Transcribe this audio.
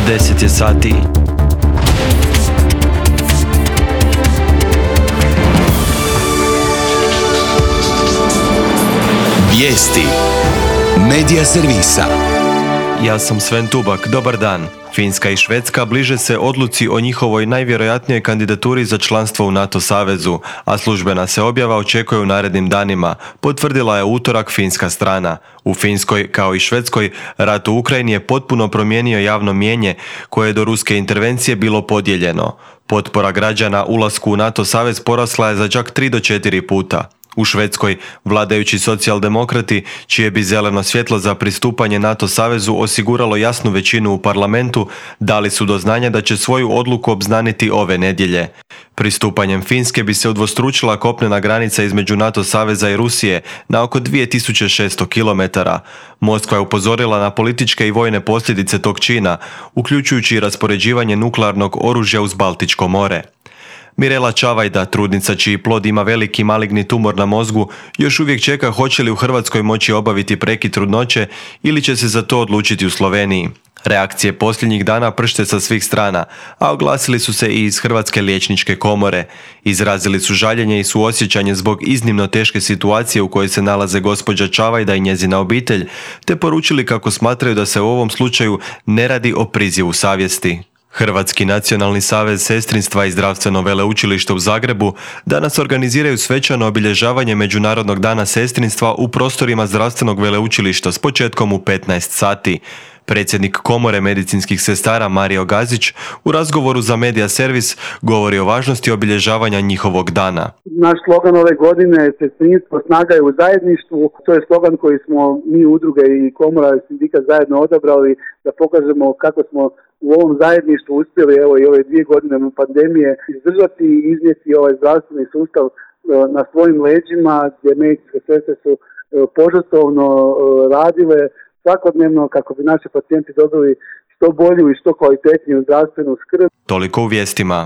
10 je sati. Vijesti Medija servisa. Ja sam Sven Tubak, dobar dan. Finska i Švedska bliže se odluci o njihovoj najvjerojatnijoj kandidaturi za članstvo u NATO savezu, a službena se objava očekuje u narednim danima, potvrdila je u utorak finska strana. U Finskoj, kao i Švedskoj, rat u Ukrajini je potpuno promijenio javno mnijenje koje je do ruske intervencije bilo podijeljeno. Potpora građana ulasku u NATO savez porasla je za čak 3 do 4 puta. U Švedskoj vladajući socijaldemokrati, čije bi zeleno svjetlo za pristupanje NATO savezu osiguralo jasnu većinu u parlamentu, dali su do znanja da će svoju odluku obznaniti ove nedjelje. Pristupanjem Finske bi se udvostručila kopnena granica između NATO saveza i Rusije na oko 2600 km. Moskva je upozorila na političke i vojne posljedice tog čina, uključujući i raspoređivanje nuklearnog oružja uz Baltičko more. Mirela Čavajda, trudnica čiji plod ima veliki maligni tumor na mozgu, još uvijek čeka hoće li u Hrvatskoj moći obaviti prekid trudnoće ili će se za to odlučiti u Sloveniji. Reakcije posljednjih dana pršte sa svih strana, a oglasili su se i iz Hrvatske liječničke komore. Izrazili su žaljenje i suosjećanje zbog iznimno teške situacije u kojoj se nalaze gospođa Čavajda i njezina obitelj, te poručili kako smatraju da se u ovom slučaju ne radi o prizivu savjesti. Hrvatski nacionalni savez sestrinstva i zdravstveno veleučilište u Zagrebu danas organiziraju svečano obilježavanje Međunarodnog dana sestrinstva u prostorima zdravstvenog veleučilišta s početkom u 15 sati. Predsjednik Komore medicinskih sestara Mario Gazić u razgovoru za Medija servis govori o važnosti obilježavanja njihovog dana. Naš slogan ove godine je sestrinstvo, snaga je u zajedništvu. To je slogan koji smo mi udruge i Komora i sindikat zajedno odabrali da pokažemo kako smo u ovom zajedništvu uspjeli evo i ove 2 godine pandemije izdržati i iznijeti ovaj zdravstveni sustav na svojim leđima, gdje medicinske sestre su požrtvovno radile svakodnevno kako bi naši pacijenti dobili što bolju i što kvalitetniju zdravstvenu skrb. Toliko u vijestima.